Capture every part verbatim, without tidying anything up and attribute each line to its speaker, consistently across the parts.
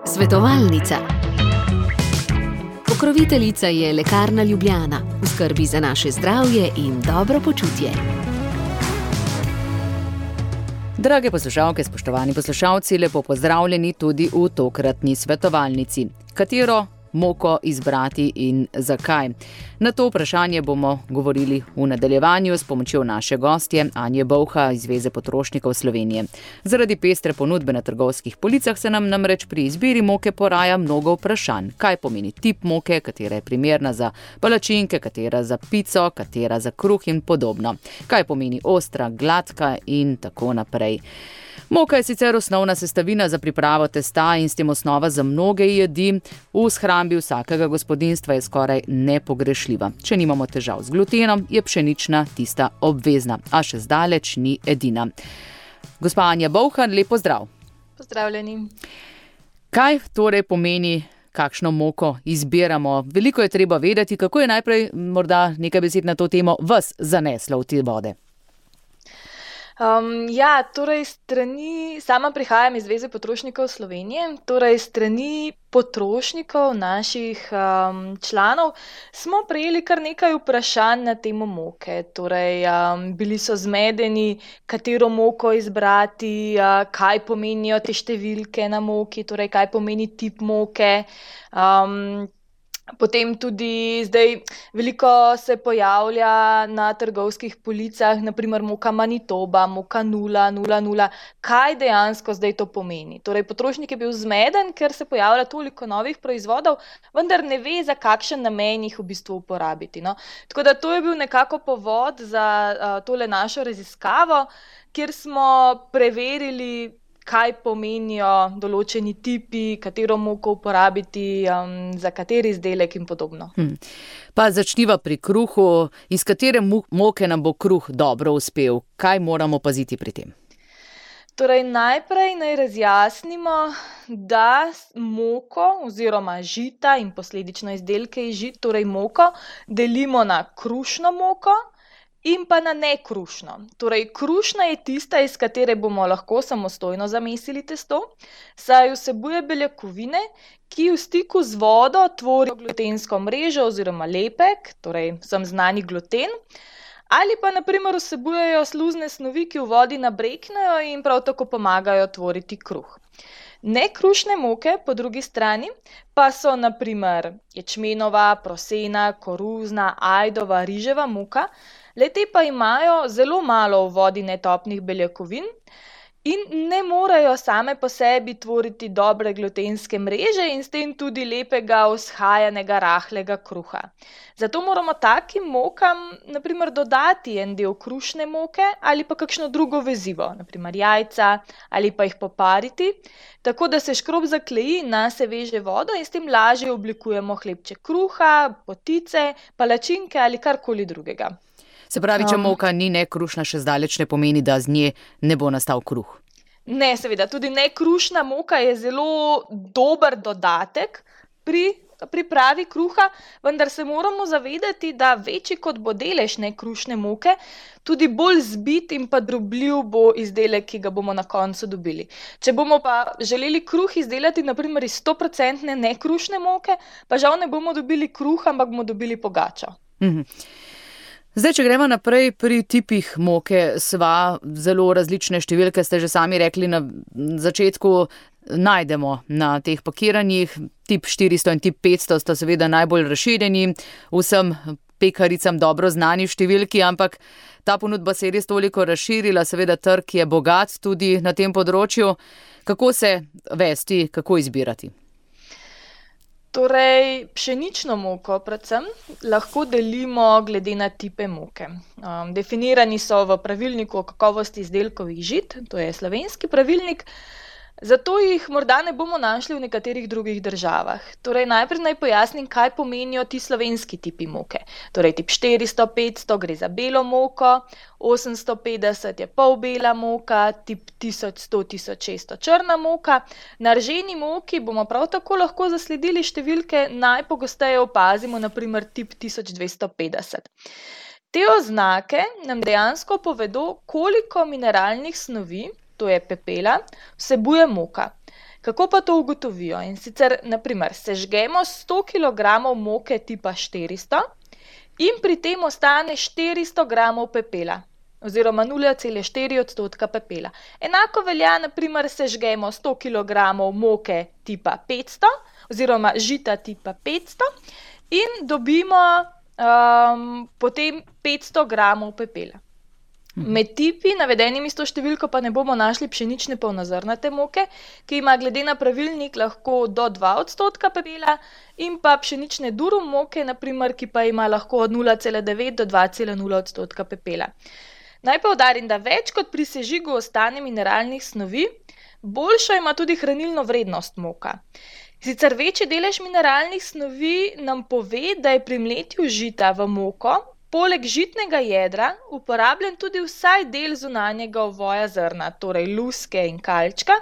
Speaker 1: Svetovalnica. Pokroviteljica je Lekarna Ljubljana, v skrbi za naše zdravje in dobro počutje.
Speaker 2: Drage poslušalke, spoštovani poslušalci, lepo pozdravljeni tudi v tokratni svetovalnici. Katero moko izbrati in zakaj? Na to vprašanje bomo govorili v nadaljevanju s pomočjo naše gostje Anje Bolha iz Zveze potrošnikov Slovenije. Zaradi pestre ponudbe na trgovskih policah se nam namreč pri izbiri moke poraja mnogo vprašanj. Kaj pomeni tip moke, katera je primerna za palačinke, katera za pico, katera za kruh in podobno. Kaj pomeni ostra, gladka in tako naprej. Moka je sicer osnovna sestavina za pripravo testa in s tem osnova za mnoge jedi. V shrambi vsakega gospodinjstva je skoraj nepogrešljiva. Če nimamo težav z glutenom, je pšenična tista obvezna, a še zdaleč ni edina. Gospa Anja Bolha, lep pozdrav.
Speaker 3: Pozdravljeni.
Speaker 2: Kaj torej pomeni, kakšno moko izbiramo? Veliko je treba vedeti, kako je najprej morda nekaj besed na to temo vas zaneslo v te vode.
Speaker 3: Um, ja, torej strani, sama prihajam iz Zveze potrošnikov Slovenije, torej strani potrošnikov, naših um, članov, smo prejeli kar nekaj vprašanj na temo moke. Torej, um, bili so zmedeni, katero moko izbrati, uh, kaj pomenijo te številke na moki, torej kaj pomeni tip moke. Um, Potem tudi zdaj veliko se pojavlja na trgovskih policah, naprimer moka Manitoba, moka nula, nula, nula. Kaj dejansko zdaj to pomeni? Torej, potrošnik je bil zmeden, ker se pojavlja toliko novih proizvodov, vendar ne ve, za kakšen namen jih v bistvu uporabiti. No? Tako da to je bil nekako povod za uh, tole našo raziskavo, kjer smo preverili, kaj pomenijo določeni tipi, katero moko uporabiti, um, za kateri izdelek in podobno.
Speaker 2: Hmm. Pa začniva pri kruhu. Iz katere moke nam bo kruh dobro uspel? Kaj moramo paziti pri tem?
Speaker 3: Torej, najprej naj razjasnimo, da moko oziroma žita in posledično izdelke iz žit, torej moko, delimo na krušno moko in pa na nekrušno. Torej, krušna je tista, iz katere bomo lahko samostojno zamesili testo, saj vsebuje beljakovine, ki v stiku z vodo tvorijo glutensko mrežo oziroma lepek, torej vsem znani gluten, ali pa na primer vsebujejo sluzne snovi, ki v vodi nabreknejo in prav tako pomagajo tvoriti kruh. Nekrušne moke, po drugi strani, pa so na primer ječmenova, prosena, koruzna, ajdova, riževa moka. Le-te pa imajo zelo malo v vodi netopnih beljakovin in ne morejo same po sebi tvoriti dobre glutenske mreže in s tem tudi lepega, vzhajanega, rahlega kruha. Zato moramo takim mokam na primer dodati en del krušne moke ali pa kakšno drugo vezivo, na primer jajca, ali pa jih popariti, tako da se škrob zakleji, nase veže vodo in s tem lažje oblikujemo hlebček kruha, potice, palačinke ali karkoli drugega.
Speaker 2: Se pravi, če moka ni nekrušna, še zdaleč ne pomeni, da z nje ne bo nastal kruh.
Speaker 3: Ne, seveda, tudi nekrušna moka je zelo dober dodatek pri pripravi kruha, vendar se moramo zavedati, da večji kot bo delež nekrušne moke, tudi bolj zbit in pa drobljiv bo izdelek, ki ga bomo na koncu dobili. Če bomo pa želeli kruh izdelati na primer iz sto procentov nekrušne moke, pa žal ne bomo dobili kruha, ampak bomo dobili pogačo.
Speaker 2: Mhm. Zdaj, če gremo naprej pri tipih moke, sva zelo različne številke, ste že sami rekli na začetku, najdemo na teh pakiranjih. Tip štiristo in tip petsto sta seveda najbolj razširjeni, vsem pekaricam dobro znani številki, ampak ta ponudba se je res toliko razširila, seveda trg je bogat tudi na tem področju. Kako se vesti, kako izbirati?
Speaker 3: Torej, pšenično moko predvsem lahko delimo glede na tipe moke. Um, definirani so v pravilniku o kakovosti izdelkovih žit, to je slovenski pravilnik, zato jih morda ne bomo našli v nekaterih drugih državah. Torej, najprej naj pojasnim, kaj pomenijo ti slovenski tipi moke. Torej, tip štiristo, petsto gre za belo moko, osemsto petdeset je polbela moka, tip tisoč sto, tisoč šeststo črna moka. Na rženi moki bomo prav tako lahko zasledili številke, najpogosteje opazimo na primer tip tisoč dvesto petdeset. Te oznake nam dejansko povedo, koliko mineralnih snovi to je pepela, vsebuje moka. Kako pa to ugotovijo? In sicer, naprimer, sežgemo sto kilogramov moke tipa štiristo in pri tem ostane štiristo gramov pepela, oziroma nula celih štiri odstotka pepela. Enako velja, naprimer, sežgemo sto kilogramov moke tipa petsto, oziroma žita tipa petsto in dobimo um, potem petsto gramov pepela. Med tipi, navedenimi s to številko, pa ne bomo našli pšenične polnozrnate moke, ki ima glede na pravilnik lahko do dva odstotka pepela, in pa pšenične durum moke, naprimer, ki pa ima lahko od nula celih devet do dva celih nula odstotka pepela. Naj poudarim, da več kot pri sežigu ostane mineralnih snovi, boljšo ima tudi hranilno vrednost moka. Sicer večji delež mineralnih snovi nam pove, da je pri mletju žita v moko poleg žitnega jedra uporabljen tudi vsaj del zunanjega ovoja zrna, torej luske in kalčka,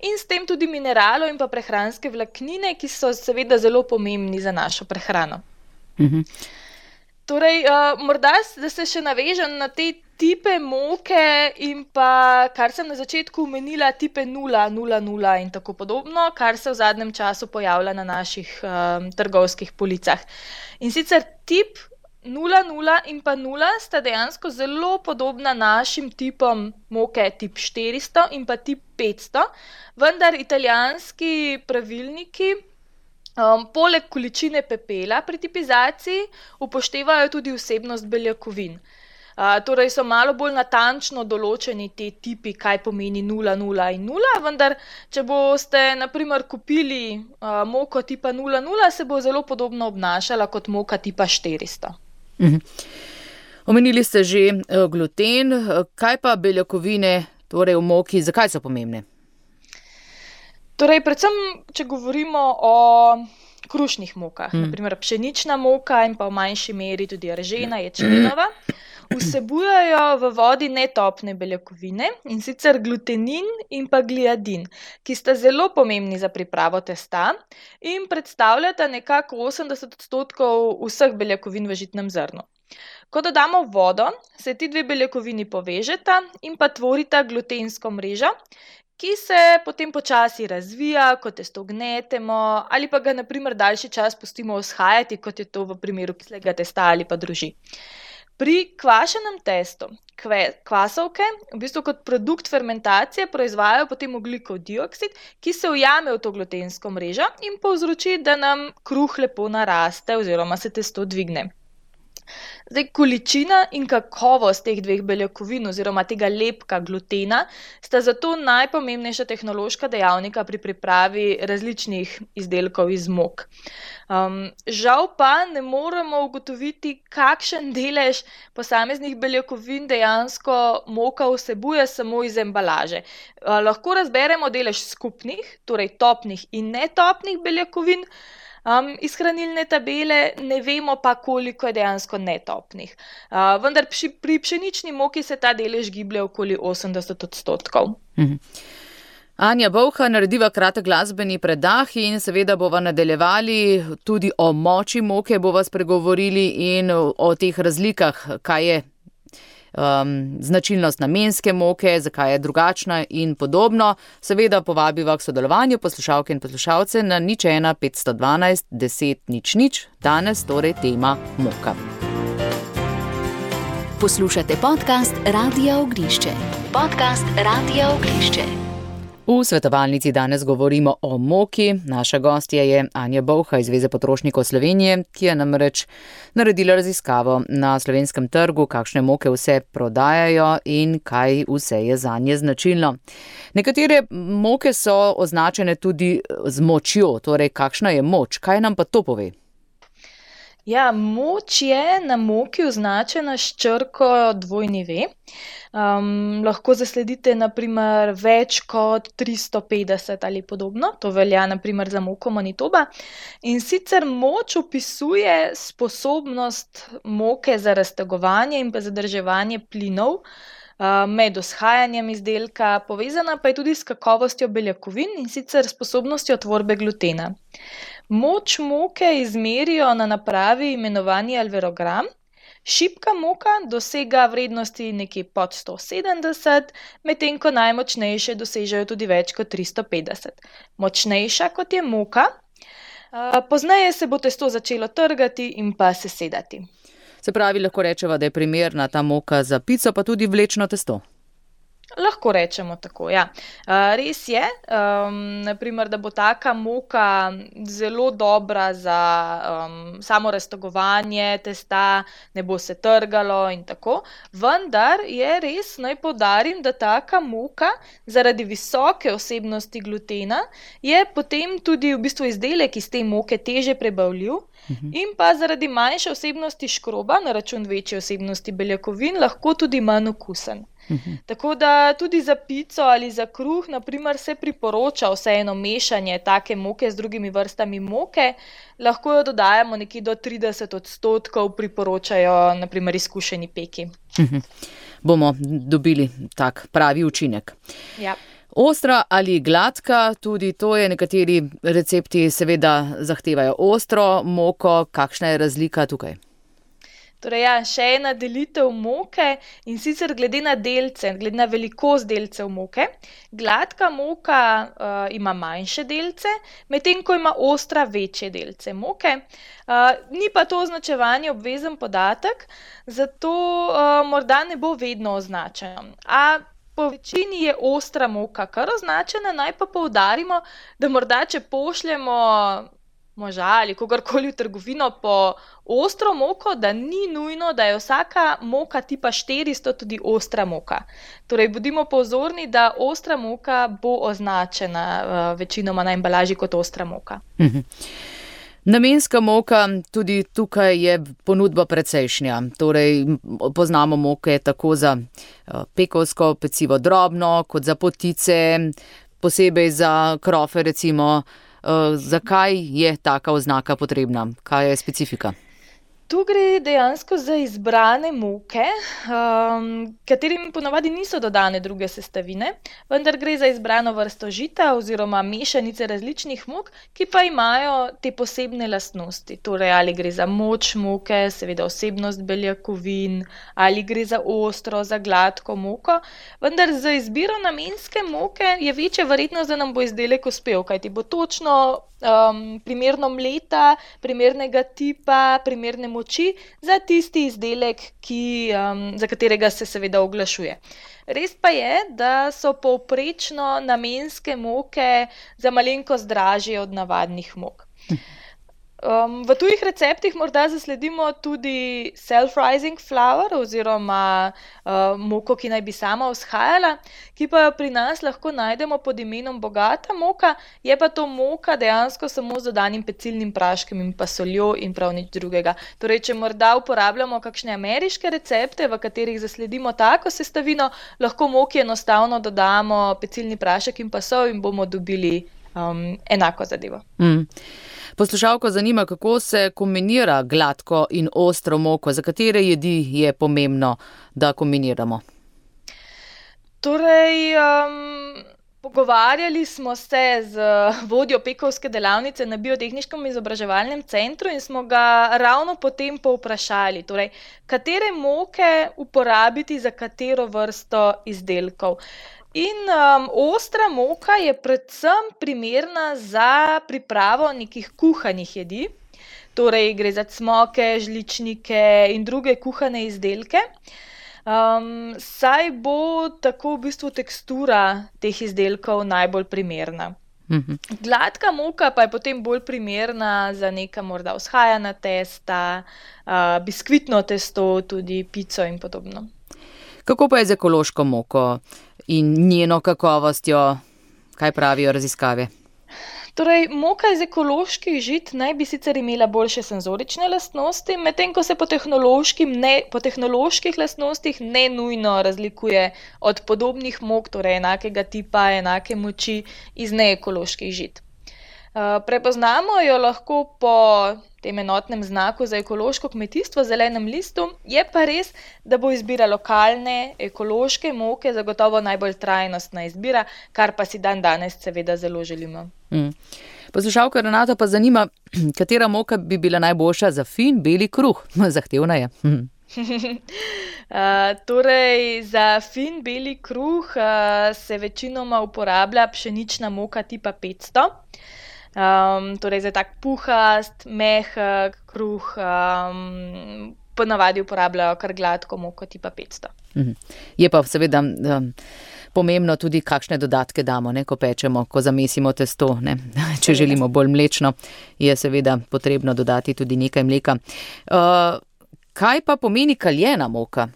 Speaker 3: in s tem tudi mineralov in pa prehranske vlaknine, ki so seveda zelo pomembni za našo prehrano.
Speaker 2: Mhm.
Speaker 3: Torej, uh, morda, da se še navežem na te tipe moke in pa, kar sem na začetku omenila, tipe nula, nula, nula in tako podobno, kar se v zadnjem času pojavlja na naših um, trgovskih policah. In sicer tip nula, nula in pa nula sta dejansko zelo podobna našim tipom moke tip štiristo in pa tip petsto, vendar italijanski pravilniki um, poleg količine pepela pri tipizaciji upoštevajo tudi vsebnost beljakovin. Uh, torej so malo bolj natančno določeni te tipi, kaj pomeni nula, nula in nula, vendar če boste naprimer kupili uh, moko tipa nula, nula, se bo zelo podobno obnašala kot moka tipa štiristo.
Speaker 2: Mhm. Omenili ste že gluten, kaj pa beljakovine, torej v moki, zakaj so pomembne?
Speaker 3: Torej, predvsem, če govorimo o krušnih mokah, hmm. naprimer pšenična moka in pa v manjši meri tudi ržena, ječmenova, vsebujejo v vodi netopne beljakovine, in sicer glutenin in pa gliadin, ki sta zelo pomembni za pripravo testa in predstavljata nekako osemdeset odstotkov vseh beljakovin v žitnem zrnu. Ko dodamo vodo, se ti dve beljakovini povežeta in pa tvorita glutensko mrežo, ki se potem počasi razvija, ko testo gnetemo ali pa ga naprimer daljši čas pustimo vzhajati, kot je to v primeru kislega testa ali pa droži. Pri kvašenem testu kvasovke v bistvu kot produkt fermentacije proizvajajo potem ogljikov dioksid, ki se ujame v to glutensko mrežo in povzroči, da nam kruh lepo naraste oziroma se testo dvigne. Zdaj, količina in kakovost teh dveh beljakovin oziroma tega lepka glutena sta zato najpomembnejša tehnološka dejavnika pri pripravi različnih izdelkov iz mok. Um, žal pa ne moremo ugotoviti, kakšen delež posameznih beljakovin dejansko moka vsebuje samo iz embalaže. Uh, lahko razberemo delež skupnih, torej topnih in netopnih beljakovin, Um, iz hranilne tabele, ne vemo pa, koliko je dejansko netopnih. Uh, vendar pri, pri pšenični moki se ta delež giblje okoli osemdeset odstotkov.
Speaker 2: Mhm. Anja Bolha, narediva kratek glasbeni predah in seveda bova nadaljevali tudi o moči moke, bova spregovorili in o teh razlikah, kaj je um, značilnost namenske moke, zakaj je drugačna in podobno. Seveda povabiva k sodelovanju poslušalke in poslušalce na nič ena petsto dvanajst deset nič nič. Danes torej tema moka.
Speaker 1: Poslušate podcast Radia Oglišče. Podcast Radia Oglišče.
Speaker 2: V svetovalnici danes govorimo o moki. Naša gostja je Anja Bolha iz Zveze potrošnikov Slovenije, ki je namreč naredila raziskavo na slovenskem trgu, kakšne moke vse prodajajo in kaj vse je zanje značilno. Nekatere moke so označene tudi z močjo, torej kakšna je moč, kaj nam pa to pove?
Speaker 3: Ja, moč je na moki označena s črko dvojni V. Um, lahko zasledite naprimer več kot tristo petdeset ali podobno, to velja naprimer za moko Manitoba. In sicer moč opisuje sposobnost moke za raztegovanje in pa zadrževanje plinov uh, med vzhajanjem izdelka, povezana pa je tudi s kakovostjo beljakovin in sicer sposobnostjo tvorbe glutena. Moč moke izmerijo na napravi imenovani alverogram, Šibka moka dosega vrednosti nekje pod sto sedemdeset, medtem ko najmočnejše dosežejo tudi več kot tristo petdeset. Močnejša kot je moka, pozneje se bo testo začelo trgati in pa sesedati.
Speaker 2: Se pravi, lahko rečeva, da je primerna ta moka za pico, pa tudi vlečno testo.
Speaker 3: Lahko rečemo tako, ja. Res je, um, naprimer, da bo taka moka zelo dobra za um, samo raztegovanje testa, ne bo se trgalo in tako, vendar je res, naj poudarim, da taka moka zaradi visoke vsebnosti glutena je potem tudi v bistvu izdelek iz te moke teže prebavljiv in pa zaradi manjše vsebnosti škroba na račun večje vsebnosti beljakovin lahko tudi manj okusen. Uhum. Tako da tudi za pico ali za kruh, naprimer, se priporoča vseeno mešanje take moke z drugimi vrstami moke, lahko jo dodajamo nekje do trideset odstotkov, priporočajo naprimer izkušeni peki.
Speaker 2: Uhum. Bomo dobili tak pravi učinek.
Speaker 3: Ja.
Speaker 2: Ostra ali gladka, tudi to je, nekateri recepti seveda zahtevajo ostro moko, kakšna je razlika tukaj?
Speaker 3: Torej, ja, še ena delitev moke in sicer glede na delce, glede na velikost delcev moke. Gladka moka uh, ima manjše delce, medtem ko ima ostra večje delce moke. Uh, ni pa to označevanje obvezen podatek, zato uh, morda ne bo vedno označeno. A po večini je ostra moka kar označena, naj pa poudarimo, da morda, če pošljemo moža ali kogarkoli v trgovino po ostro moko, da ni nujno, da je vsaka moka tipa štiristo tudi ostra moka. Torej, bodimo pozorni, da ostra moka bo označena uh, večinoma na embalaži kot ostra moka.
Speaker 2: Mhm. Namenska moka, tudi tukaj je ponudba precejšnja. Torej, poznamo moke tako za uh, pekovsko pecivo drobno, kot za potice, posebej za krofe recimo. Uh, zakaj je taka oznaka potrebna? Kaj je specifika?
Speaker 3: Tu gre dejansko za izbrane moke, um, katerim ponavadi niso dodane druge sestavine, vendar gre za izbrano vrsto žita oziroma mešanice različnih mok, ki pa imajo te posebne lastnosti. Torej, ali gre za moč moke, seveda vsebnost beljakovin, ali gre za ostro, za gladko moko, vendar za izbiro namenske moke je večja verjetnost, da nam bo izdelek uspel, kajti bo točno Um, primerno mleta, primernega tipa, primerne moči za tisti izdelek, ki, um, za katerega se seveda oglašuje. Res pa je, da so povprečno namenske moke za malenkost dražje od navadnih mok. Um, v tujih receptih morda zasledimo tudi self-rising flour oziroma uh, moko, ki naj bi sama vzhajala, ki pa jo pri nas lahko najdemo pod imenom bogata moka, je pa to moka dejansko samo z dodanim pecilnim praškom in pa soljo in prav nič drugega. Torej, če morda uporabljamo kakšne ameriške recepte, v katerih zasledimo tako sestavino, lahko moki enostavno dodamo pecilni prašek in pa sol in bomo dobili um, enako zadevo.
Speaker 2: Mm. Poslušalko zanima, kako se kombinira gladko in ostro moko, za katere jedi je pomembno, da kombiniramo?
Speaker 3: Torej, um, pogovarjali smo se z vodjo pekovske delavnice na Biotehniškem izobraževalnem centru in smo ga ravno potem povprašali, torej, katere moke uporabiti za katero vrsto izdelkov. In um, ostra moka je predvsem primerna za pripravo nekih kuhanih jedi, torej gre za cmoke, žličnike in druge kuhane izdelke, um, saj bo tako v bistvu tekstura teh izdelkov najbolj primerna.
Speaker 2: Mhm.
Speaker 3: Gladka moka pa je potem bolj primerna za neka morda vzhajana testa, uh, biskvitno testo, tudi pico in podobno.
Speaker 2: Kako pa je z ekološko moko in njeno kakovostjo? Kaj pravijo raziskave?
Speaker 3: Torej, moka iz ekoloških žit naj bi sicer imela boljše senzorične lastnosti, medtem ko se po, ne, po tehnoloških lastnostih ne nujno razlikuje od podobnih mok, torej enakega tipa, enake moči iz neekoloških žit. Uh, prepoznamo jo lahko po tem enotnem znaku za ekološko kmetijstvo, zelenem listu, je pa res, da bo izbira lokalne, ekološke moke zagotovo najbolj trajnostna izbira, kar pa si dan danes seveda zelo želimo.
Speaker 2: Mm. Poslušalka Renata pa zanima, katera moka bi bila najboljša za fin beli kruh? Zahtevna je. Mm.
Speaker 3: Uh, torej, za fin beli kruh uh, se večinoma uporablja pšenična moka tipa petsto. Um, torej, za tak puhast, mehek kruh um, ponavadi uporabljajo kar gladko moko tipa petsto.
Speaker 2: Mhm. Je pa seveda um, pomembno tudi, kakšne dodatke damo, ne, ko pečemo, ko zamesimo testo. Ne. Če želimo bolj mlečno, je seveda potrebno dodati tudi nekaj mleka. Uh, kaj pa pomeni kaljena moka?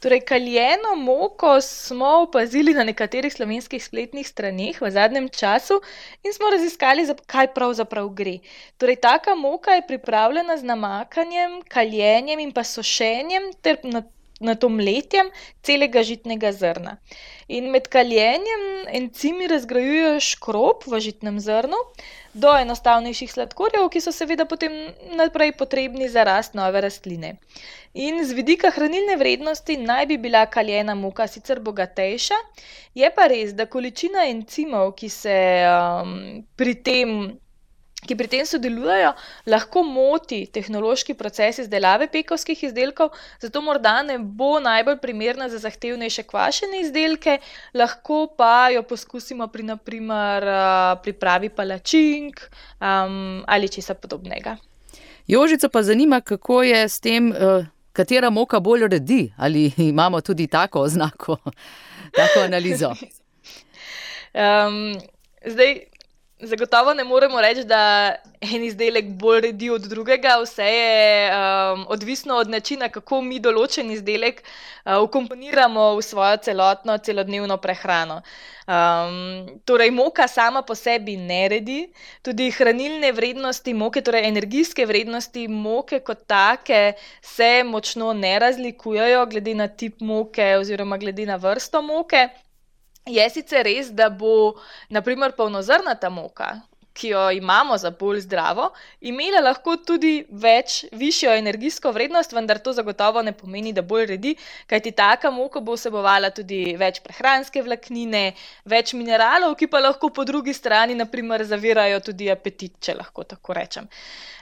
Speaker 3: Torej, kaljeno moko smo opazili na nekaterih slovenskih spletnih straneh v zadnjem času in smo raziskali, kaj pravzaprav gre. Torej, taka moka je pripravljena z namakanjem, kaljenjem in pa sušenjem ter na na to mletjem celega žitnega zrna. In med kaljenjem encimi razgrajujejo škrob v žitnem zrnu do enostavnejših sladkorjev, ki so seveda potem naprej potrebni za rast nove rastline. In z vidika hranilne vrednosti naj bi bila kaljena moka sicer bogatejša, je pa res, da količina encimov, ki se um, pri tem ki pri tem sodelujejo, lahko moti tehnološki proces izdelave pekovskih izdelkov, zato morda ne bo najbolj primerna za zahtevnejše kvašene izdelke, lahko pa jo poskusimo pri naprimer pripravi palačink um, ali česa podobnega.
Speaker 2: Jožico pa zanima, kako je s tem, katera moka bolj redi, ali imamo tudi tako oznako, tako analizo?
Speaker 3: Um, zdaj, Zagotovo ne moremo reči, da en izdelek bolj redi od drugega, vse je um, odvisno od načina, kako mi določen izdelek uh, vkomponiramo v svojo celotno celodnevno prehrano. Um, torej, moka sama po sebi ne redi, tudi hranilne vrednosti moke, torej energijske vrednosti moke kot take se močno ne razlikujejo glede na tip moke oziroma glede na vrsto moke. Je sicer res, da bo naprimer polnozrnata moka, ki jo imamo za bolj zdravo, imela lahko tudi več, višjo energijsko vrednost, vendar to zagotovo ne pomeni, da bolj redi, kajti taka moka bo vsebovala tudi več prehranske vlaknine, več mineralov, ki pa lahko po drugi strani naprimer zavirajo tudi apetit, če lahko tako rečem.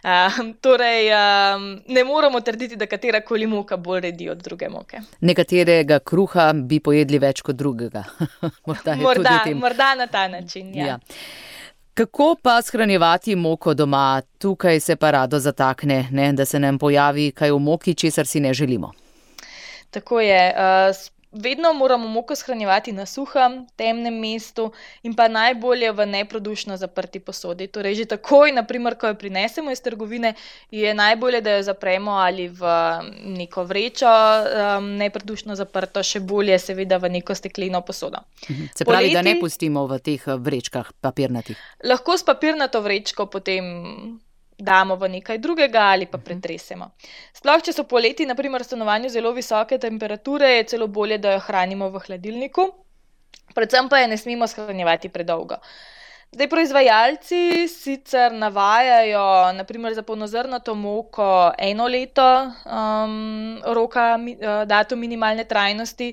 Speaker 3: Uh, torej, um, ne moramo trditi, da katerakoli moka bolj redi od druge moke.
Speaker 2: Nekaterega kruha bi pojedli več kot drugega. morda,
Speaker 3: morda, morda na ta način, ja.
Speaker 2: ja. Kako pa shranjevati moko doma? Tukaj se pa rado zatakne, ne? Da se nam pojavi kaj v moki, česar si ne želimo.
Speaker 3: Tako je. Uh, Vedno moramo moko shranjevati na suhem, temnem mestu in pa najbolje v neprodušno zaprti posodi. Torej, že takoj, naprimer, ko jo prinesemo iz trgovine, je najbolje, da jo zapremo ali v neko vrečo um, neprodušno zaprto, še bolje seveda v neko stekleno posodo.
Speaker 2: Se pravi, Poleti, da ne pustimo v teh vrečkah papirnatih?
Speaker 3: Lahko s papirnato vrečko potem damo v nekaj drugega ali pa pretresemo. Sploh, če so poleti, naprimer, v stanovanju zelo visoke temperature, je celo bolje, da jo hranimo v hladilniku. Predvsem pa je ne smemo shranjevati predolgo. Zdaj, proizvajalci sicer navajajo, naprimer za polnozrnato moko eno leto um, roka, datum minimalne trajnosti,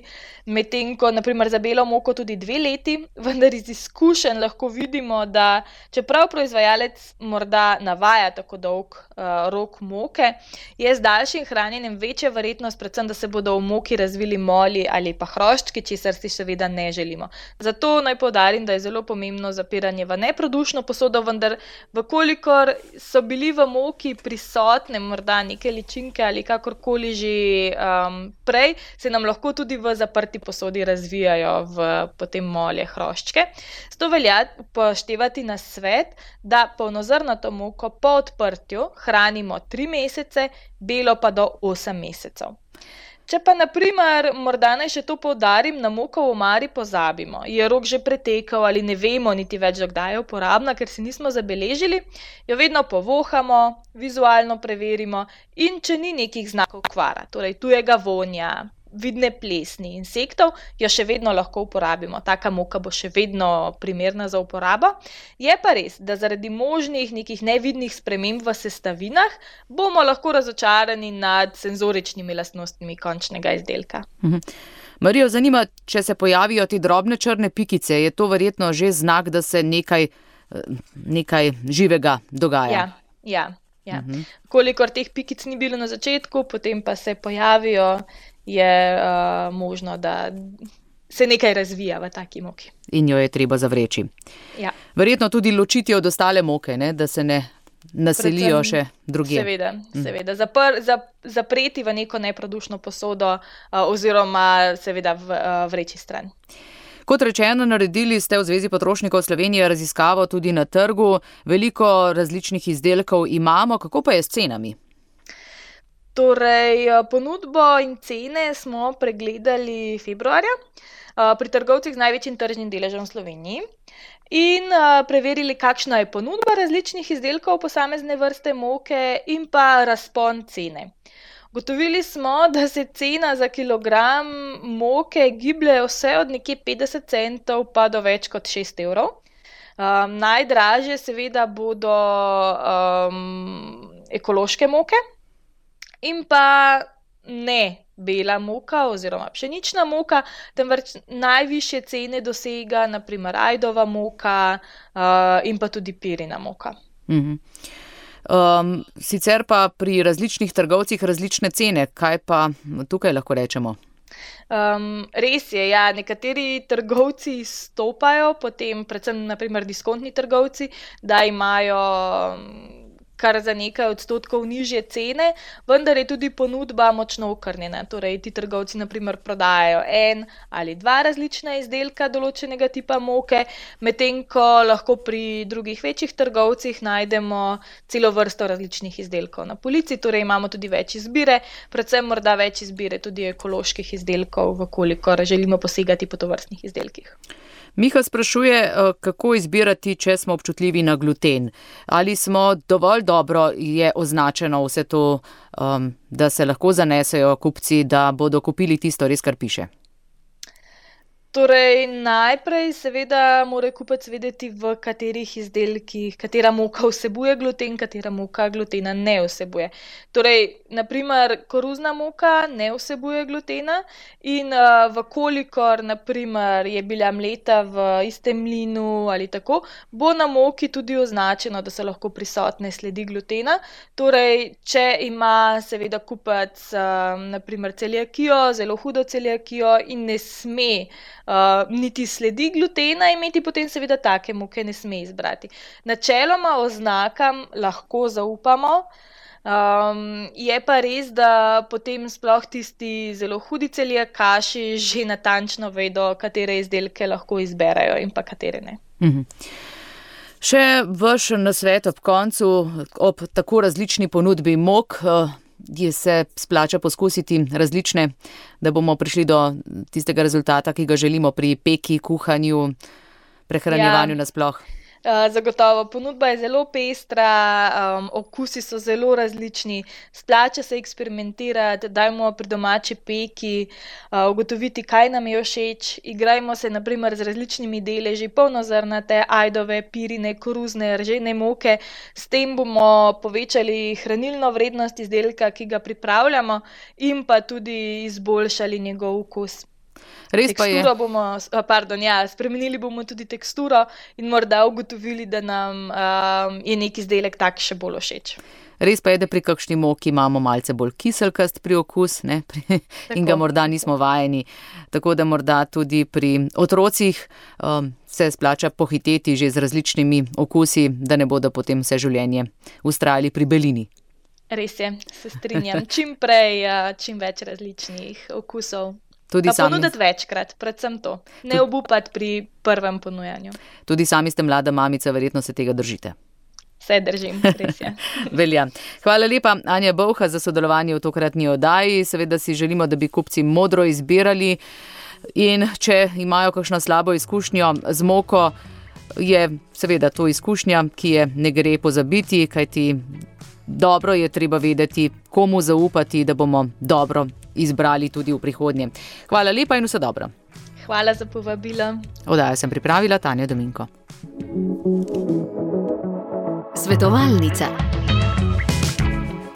Speaker 3: medtem ko naprimer za belo moko tudi dve leti, vendar iz izkušenj lahko vidimo, da čeprav proizvajalec morda navaja tako dolg uh, rok moke, je z daljšim hranjenjem večja verjetnost, predvsem, da se bodo v moki razvili moli ali pa hroščki, česar si seveda ne želimo. Zato naj poudarim, da je zelo pomembno zapiranje v neprodušno posodo, vendar vkolikor so bili v moki prisotne morda neke ličinke ali kakorkoli že um, prej, se nam lahko tudi v zaprti posodi razvijajo v potem molje, hroščke. Zato velja upoštevati nasvet, da polnozrnato moko po odprtju hranimo tri mesece, belo pa do osem mesecev. Če pa, naprimer, morda naj še to poudarim, na moko v omari pozabimo, je rok že pretekel ali ne vemo niti več, kdaj je uporabna, ker si nismo zabeležili, jo vedno povohamo, vizualno preverimo in če ni nekih znakov kvara, torej tujega vonja, vidne plesni, insektov, jo še vedno lahko uporabimo. Taka moka bo še vedno primerna za uporabo. Je pa res, da zaradi možnih nekih nevidnih sprememb v sestavinah bomo lahko razočarani nad senzoričnimi lastnostmi končnega izdelka.
Speaker 2: Mhm. Marijo, zanima, če se pojavijo ti drobne črne pikice, je to verjetno že znak, da se nekaj, nekaj živega dogaja?
Speaker 3: Ja, ja. Ja.
Speaker 2: Mhm.
Speaker 3: Kolikor teh pikic ni bilo na začetku, potem pa se pojavijo, je uh, možno, da se nekaj razvija v taki moki.
Speaker 2: In jo je treba zavreči.
Speaker 3: Ja.
Speaker 2: Verjetno tudi ločiti od ostale moke, ne? Da se ne naselijo
Speaker 3: Predvsem,
Speaker 2: še drugje.
Speaker 3: Seveda, seveda. Zapr, zap, zapreti v neko neprodušno posodo uh, oziroma seveda v, uh, vreči stran.
Speaker 2: Kot rečeno, naredili ste v Zvezi potrošnikov Slovenije raziskavo tudi na trgu. Veliko različnih izdelkov imamo. Kako pa je s cenami?
Speaker 3: Torej, ponudbo in cene smo pregledali februarja pri trgovcih z največjim tržnim deležem v Sloveniji in preverili, kakšna je ponudba različnih izdelkov posamezne vrste moke in pa razpon cene. Gotovili smo, da se cena za kilogram moke giblje vse od nekje petdeset centov pa do več kot šest evrov. Um, najdražje seveda bodo um, ekološke moke in pa ne bela moka oziroma pšenična moka, temveč najvišje cene dosega na primer ajdova moka uh, in pa tudi pirina moka.
Speaker 2: Mhm. Um, sicer pa pri različnih trgovcih različne cene, kaj pa tukaj lahko rečemo?
Speaker 3: Um, res je, ja, nekateri trgovci stopajo, potem predvsem naprimer diskontni trgovci, da imajo kar za nekaj odstotkov nižje cene, vendar je tudi ponudba močno okrnjena. Torej, ti trgovci naprimer prodajajo en ali dva različna izdelka določenega tipa moke, medtem ko lahko pri drugih večjih trgovcih najdemo celo vrsto različnih izdelkov na polici, torej imamo tudi več izbire, predvsem morda več izbire tudi ekoloških izdelkov, vkolikor želimo posegati po tovrstnih izdelkih.
Speaker 2: Miha sprašuje, kako izbirati, če smo občutljivi na gluten. Ali smo dovolj dobro je označeno vse to, um, da se lahko zanesejo kupci, da bodo kupili tisto res, kar piše?
Speaker 3: Torej, najprej seveda mora kupec vedeti, v katerih izdelkih, katera moka vsebuje gluten, katera moka glutena ne vsebuje. Torej, naprimer, koruzna moka ne vsebuje glutena in uh, vkolikor, naprimer, je bila mleta v istem mlinu ali tako, bo na moki tudi označeno, da so lahko prisotne sledi glutena. Torej, če ima seveda kupec, uh, naprimer, celiakijo, zelo hudo celiakijo in ne sme Uh, niti sledi glutena imeti, potem seveda take moke ne sme izbrati. Načeloma oznakam lahko zaupamo, um, je pa res, da potem sploh tisti zelo hudi celiakaši že natančno vedo, katere izdelke lahko izberejo in pa katere ne.
Speaker 2: Mhm. Še vaš nasvet ob koncu, ob tako različni ponudbi mok, je se splača poskusiti različne, da bomo prišli do tistega rezultata, ki ga želimo pri peki, kuhanju, prehranjevanju ja. nasploh.
Speaker 3: Zagotovo, ponudba je zelo pestra, um, okusi so zelo različni, splača se eksperimentirati, dajmo pri domači peki, uh, ugotoviti, kaj nam je všeč, igrajmo se naprimer z različnimi deleži, polnozrnate, ajdove, pirine, koruzne, ržene moke, s tem bomo povečali hranilno vrednost izdelka, ki ga pripravljamo in pa tudi izboljšali njegov okus.
Speaker 2: Res pa je.
Speaker 3: Bomo, pardon, ja, spremenili bomo tudi teksturo in morda ugotovili, da nam um, je neki izdelek tak še bolj všeč.
Speaker 2: Res pa je, da pri kakšni moki imamo malce bolj kiselkast pri okus, ne? In ga morda nismo vajeni. Tako da morda tudi pri otrocih um, se splača pohiteti že z različnimi okusi, da ne bodo potem vse življenje vztrajali pri belini.
Speaker 3: Res je, se strinjam. Čim prej, čim več različnih okusov.
Speaker 2: Tudi
Speaker 3: pa
Speaker 2: sami...
Speaker 3: ponuditi večkrat, predvsem to. Ne Tud... obupati pri prvem ponujanju.
Speaker 2: Tudi sami ste mlada mamica, verjetno se tega držite.
Speaker 3: Se držim, res je.
Speaker 2: Velja. Hvala lepa, Anja Bolha, za sodelovanje v tokratni oddaji. Seveda si želimo, da bi kupci modro izbirali in če imajo kakšno slabo izkušnjo z moko, je seveda to izkušnja, ki je ne gre pozabiti, kajti dobro je treba vedeti, komu zaupati, da bomo dobro izbrali tudi v prihodnje. Hvala lepa in vse dobro.
Speaker 3: Hvala za povabilo.
Speaker 2: Oddajo sem pripravila Tanja Dominko.
Speaker 1: Svetovalnica.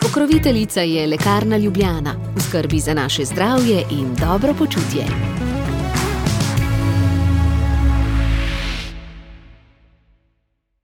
Speaker 1: Pokroviteljica je Lekarna Ljubljana. V skrbi za naše zdravje in dobro počutje.